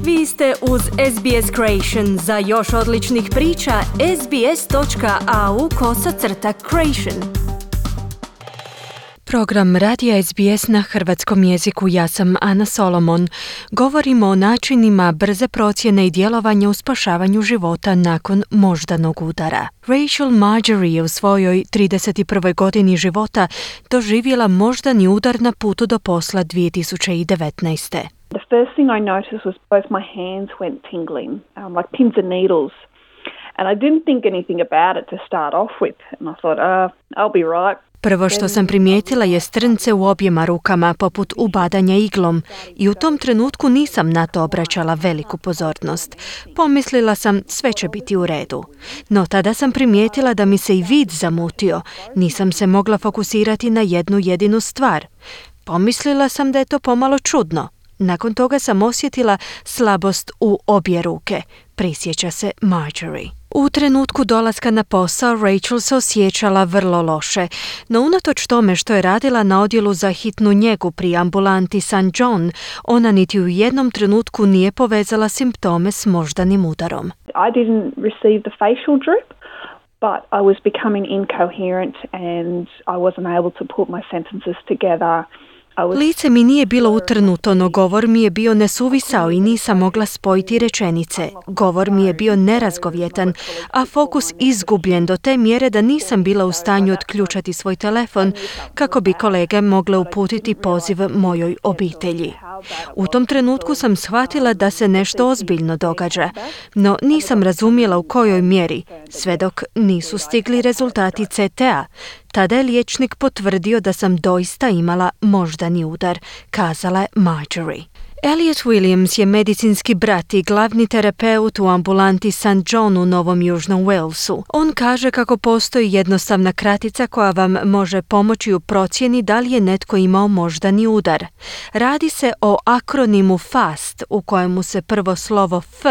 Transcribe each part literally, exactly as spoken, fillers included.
Vi ste uz S B S Creation. Za još odličnih priča, sbs.au kosacrta creation. Program Radija S B S na hrvatskom jeziku. Ja sam Ana Solomon. Govorimo o načinima brze procjene i djelovanja u spašavanju života nakon moždanog udara. Rachel Marjorie je u svojoj trideset prvoj godini života doživjela moždani udar na putu do posla dvije tisuće devetnaeste. The first thing I noticed was both my hands went tingling, um, like pins and needles. And I didn't think anything about it to start off with. And I thought, uh, I'll be right. Prvo što sam primijetila je strnce u objema rukama, poput ubadanja iglom, i u tom trenutku nisam na to obraćala veliku pozornost. Pomislila sam, sve će biti u redu. No tada sam primijetila da mi se i vid zamutio. Nisam se mogla fokusirati na jednu jedinu stvar. Pomislila sam da je to pomalo čudno. Nakon toga sam osjetila slabost u obje ruke, prisjeća se Marjorie. U trenutku dolaska na posao Rachel se osjećala vrlo loše, no unatoč tome što je radila na odjelu za hitnu njegu pri ambulanti Saint John, ona niti u jednom trenutku nije povezala simptome s moždanim udarom. I didn't receive the facial drip, but I was becoming incoherent and I wasn't able to put my sentences together. Lice mi nije bilo utrnuto, no govor mi je bio nesuvisao i nisam mogla spojiti rečenice. Govor mi je bio nerazgovjetan, a fokus izgubljen do te mjere da nisam bila u stanju otključati svoj telefon kako bi kolege mogle uputiti poziv mojoj obitelji. U tom trenutku sam shvatila da se nešto ozbiljno događa, no nisam razumjela u kojoj mjeri, sve dok nisu stigli rezultati C T A. Tada je liječnik potvrdio da sam doista imala moždani udar, kazala je Marjorie. Elliot Williams je medicinski brat i glavni terapeut u ambulanti Saint John u Novom Južnom Walesu. On kaže kako postoji jednostavna kratica koja vam može pomoći u procjeni da li je netko imao moždani udar. Radi se o akronimu FAST u kojemu se prvo slovo F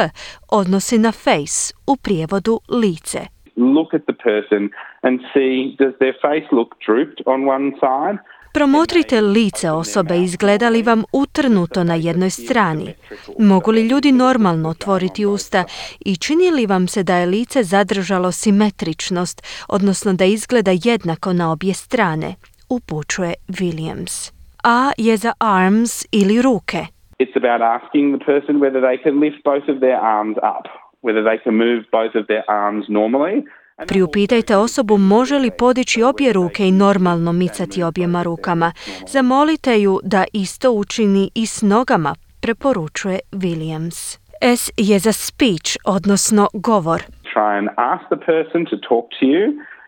odnosi na face, u prijevodu lice. Look at the person and see, does their face look drooped on one side? Promotrite lice osobe, izgleda li vam utrnuto na jednoj strani. Mogu li ljudi normalno otvoriti usta i čini li vam se da je lice zadržalo simetričnost, odnosno da izgleda jednako na obje strane, upućuje Williams. A je za arms ili ruke. It's about asking the person whether they can lift both of their arms up, whether they can move both of their arms normally. Priupitajte osobu može li podići obje ruke i normalno micati objema rukama. Zamolite ju da isto učini i s nogama, preporučuje Williams. S je za speech, odnosno govor. Try and ask the person to talk to you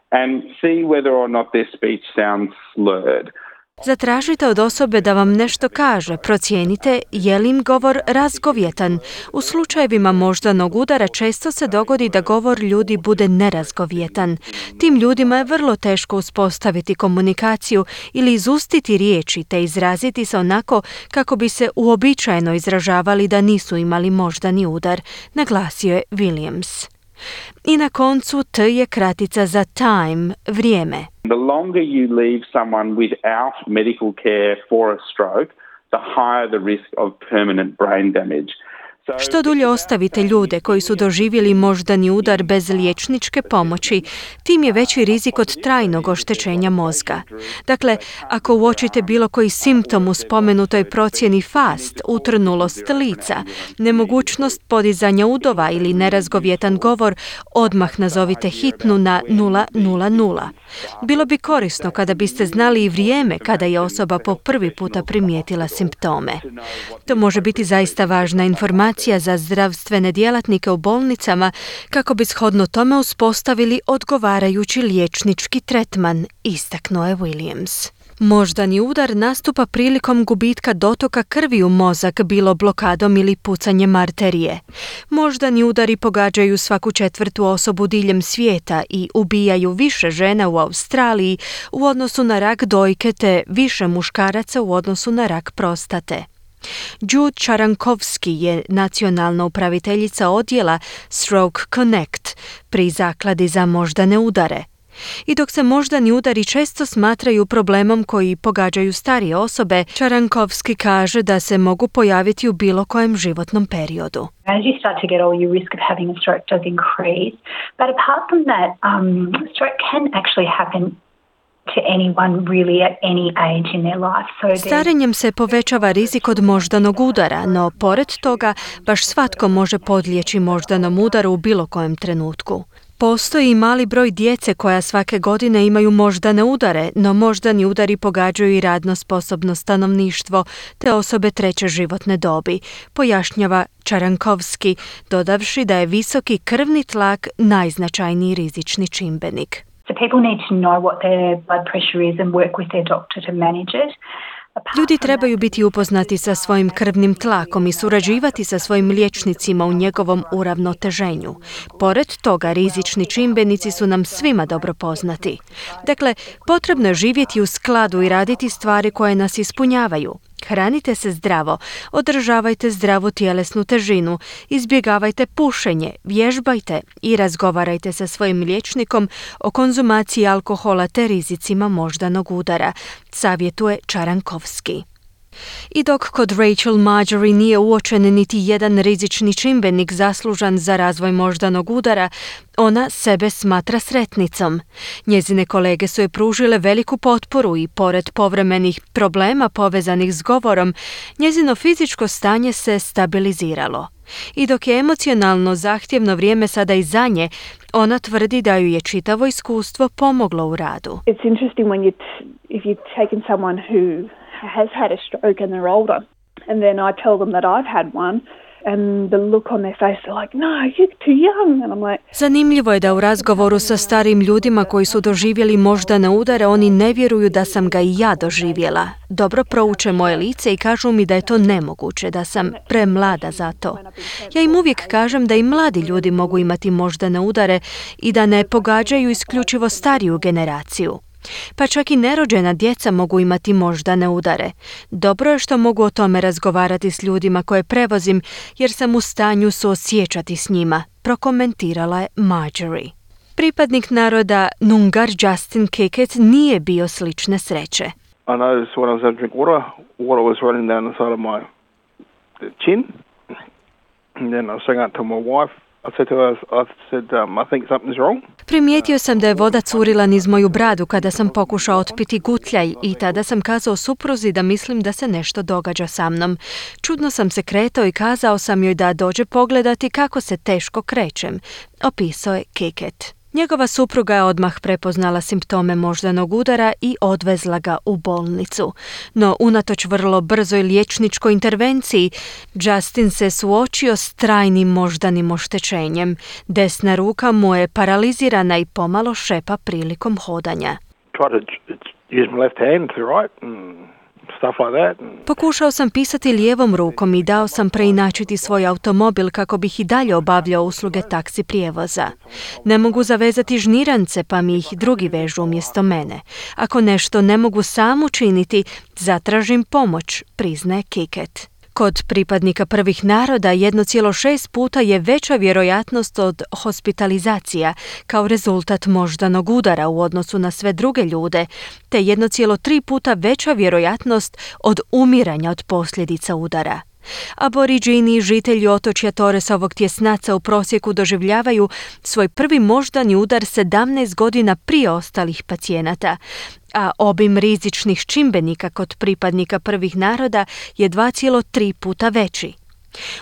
and see whether or not their speech sounds slurred. Zatražite od osobe da vam nešto kaže, procijenite je li im govor razgovjetan. U slučajevima moždanog udara često se dogodi da govor ljudi bude nerazgovjetan. Tim ljudima je vrlo teško uspostaviti komunikaciju ili izustiti riječi te izraziti se onako kako bi se uobičajeno izražavali da nisu imali moždani udar, naglasio je Williams. I na koncu T je kratica za time, vrijeme. The longer you leave someone without medical care for a stroke, the higher the risk of permanent brain damage. Što dulje ostavite ljude koji su doživjeli moždani udar bez liječničke pomoći, tim je veći rizik od trajnog oštećenja mozga. Dakle, ako uočite bilo koji simptom u spomenutoj procjeni FAST, utrnulost lica, nemogućnost podizanja udova ili nerazgovjetan govor, odmah nazovite hitnu na nula nula nula. Bilo bi korisno kada biste znali i vrijeme kada je osoba po prvi puta primijetila simptome. To može biti zaista važna informacija za zdravstvene djelatnike u bolnicama kako bi shodno tome uspostavili odgovarajući liječnički tretman, istaknuo je Williams. Moždani udar nastupa prilikom gubitka dotoka krvi u mozak, bilo blokadom ili pucanjem arterije. Moždani udari pogađaju svaku četvrtu osobu diljem svijeta i ubijaju više žena u Australiji u odnosu na rak dojke te više muškaraca u odnosu na rak prostate. Jude Čarankovski je nacionalna upraviteljica odjela Stroke Connect pri zakladi za moždane udare. I dok se moždani udari često smatraju problemom koji pogađaju starije osobe, Čarankovski kaže da se mogu pojaviti u bilo kojem životnom periodu. As you start to get older, your risk of having a stroke does increase. But apart from that, um, stroke can actually happen to anyone really at any age in their life. So Starenjem se povećava rizik od moždanog udara, no pored toga baš svatko može podlijeći moždanom udaru u bilo kojem trenutku. Postoji i mali broj djece koja svake godine imaju moždane udare, no moždani udari pogađaju i radno sposobno stanovništvo te osobe treće životne dobi, pojašnjava Čarankovski, dodavši da je visoki krvni tlak najznačajniji rizični čimbenik. So people need to know what their blood pressure is and work with their doctor to manage it. Ljudi trebaju biti upoznati sa svojim krvnim tlakom i surađivati sa svojim liječnicima u njegovom uravnoteženju. Pored toga, rizični čimbenici su nam svima dobro poznati. Dakle, potrebno je živjeti u skladu i raditi stvari koje nas ispunjavaju. Hranite se zdravo, održavajte zdravu tjelesnu težinu, izbjegavajte pušenje, vježbajte i razgovarajte sa svojim liječnikom o konzumaciji alkohola te rizicima moždanog udara, savjetuje Čarankovski. I dok kod Rachel Marjorie nije uočen niti jedan rizični čimbenik zaslužan za razvoj moždanog udara, ona sebe smatra sretnicom. Njezine kolege su joj pružile veliku potporu i pored povremenih problema povezanih s govorom, njezino fizičko stanje se stabiliziralo. I dok je emocionalno zahtjevno vrijeme sada i za nje, ona tvrdi da ju je čitavo iskustvo pomoglo u radu. It's interesting when you t- if you've taken someone who has had a stroke and they're older, and then I tell them that I've had one, and the look on their face, they're like, no, you're too young. And I'm like... Zanimljivo je da u razgovoru sa starim ljudima koji su doživjeli moždane udare, oni ne vjeruju da sam ga i ja doživjela. Dobro prouče moje lice i kažu mi da je to nemoguće, da sam premlada za to. Ja im uvijek kažem da i mladi ljudi mogu imati moždane udare i da ne pogađaju isključivo stariju generaciju. Pa čak i nerođena djeca mogu imati moždane udare. Dobro je što mogu o tome razgovarati s ljudima koje prevozim, jer sam u stanju suosjećati s njima, prokomentirala je Marjorie. Pripadnik naroda Noongar Justin Kickett nije bio slične sreće. I noticed when I was having to drink water, water was running down the side of my chin. And then I was saying out to my wife, I said to her, I said, um, I think something's wrong. Primijetio sam da je voda curila niz moju bradu kada sam pokušao otpiti gutljaj i tada sam kazao supruzi da mislim da se nešto događa sa mnom. Čudno sam se kretao i kazao sam joj da dođe pogledati kako se teško krećem, opisao je Kickett. Njegova supruga je odmah prepoznala simptome moždanog udara i odvezla ga u bolnicu. No, unatoč vrlo brzoj liječničkoj intervenciji, Justin se suočio s trajnim moždanim oštećenjem. Desna ruka mu je paralizirana i pomalo šepa prilikom hodanja. Pokušao sam pisati lijevom rukom i dao sam preinačiti svoj automobil kako bih i dalje obavljao usluge taksi prijevoza. Ne mogu zavezati žnirance pa mi ih drugi vežu umjesto mene. Ako nešto ne mogu sam učiniti, zatražim pomoć, priznaje Kickett. Kod pripadnika prvih naroda jedno zarez šest puta je veća vjerojatnost od hospitalizacija kao rezultat moždanog udara u odnosu na sve druge ljude, te jedno zarez tri puta veća vjerojatnost od umiranja od posljedica udara. Aboriđini i žitelji otočja Torresovog tjesnaca u prosjeku doživljavaju svoj prvi moždani udar sedamnaest godina prije ostalih pacijenata, a obim rizičnih čimbenika kod pripadnika prvih naroda je dva zarez tri puta veći.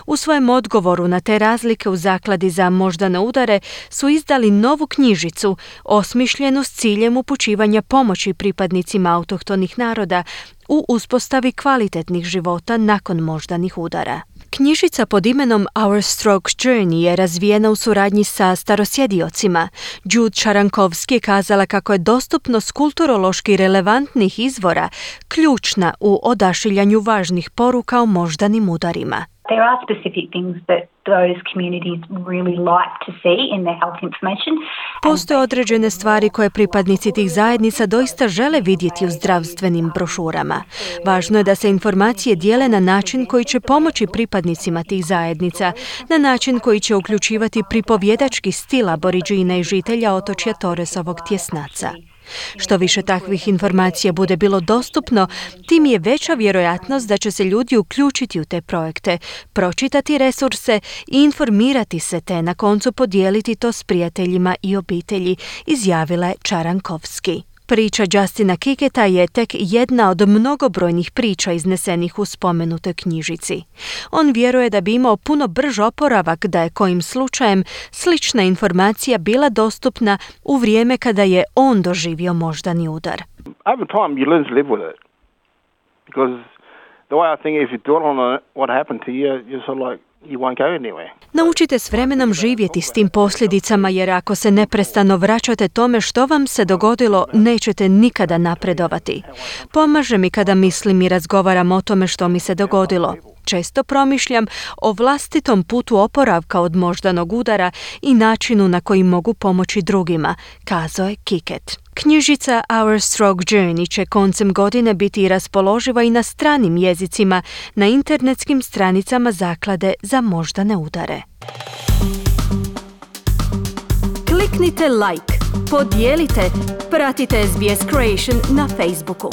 U svojem odgovoru na te razlike u Zakladi za moždane udare su izdali novu knjižicu osmišljenu s ciljem upućivanja pomoći pripadnicima autohtonih naroda u uspostavi kvalitetnih života nakon moždanih udara. Knjižica pod imenom Our Stroke Journey je razvijena u suradnji sa starosjediocima. Jude Čarankovski je kazala kako je dostupnost kulturološki relevantnih izvora ključna u odašiljanju važnih poruka o moždanim udarima. There are specific things that those communities really like to see in their health information. Postoje određene stvari koje pripadnici tih zajednica doista žele vidjeti u zdravstvenim brošurama. Važno je da se informacije dijele na način koji će pomoći pripadnicima tih zajednica, na način koji će uključivati pripovjedački stil Aboriđina i žitelja otočja Torresovog tjesnaca. Što više takvih informacija bude bilo dostupno, tim je veća vjerojatnost da će se ljudi uključiti u te projekte, pročitati resurse i informirati se te na koncu podijeliti to s prijateljima i obitelji, izjavila je Čarankovski. Priča Justina Kiketa je tek jedna od mnogobrojnih priča iznesenih u spomenutoj knjižici. On vjeruje da bi imao puno brž oporavak da je kojim slučajem slična informacija bila dostupna u vrijeme kada je on doživio moždani udar. Over time you learn to live with it. Because the way I think if you dwell on what happened to you, you're sort of like you won't go anywhere. Naučite s vremenom živjeti s tim posljedicama, jer ako se neprestano vraćate tome što vam se dogodilo, nećete nikada napredovati. Pomaže mi kada mislim i razgovaram o tome što mi se dogodilo. Često promišljam o vlastitom putu oporavka od moždanog udara i načinu na koji mogu pomoći drugima, kazao je Kiket. Knjižica Our Stroke Journey će koncem godine biti raspoloživa i na stranim jezicima na internetskim stranicama Zaklade za moždane udare. Kliknite like, podijelite, pratite S B S Creation na Facebooku.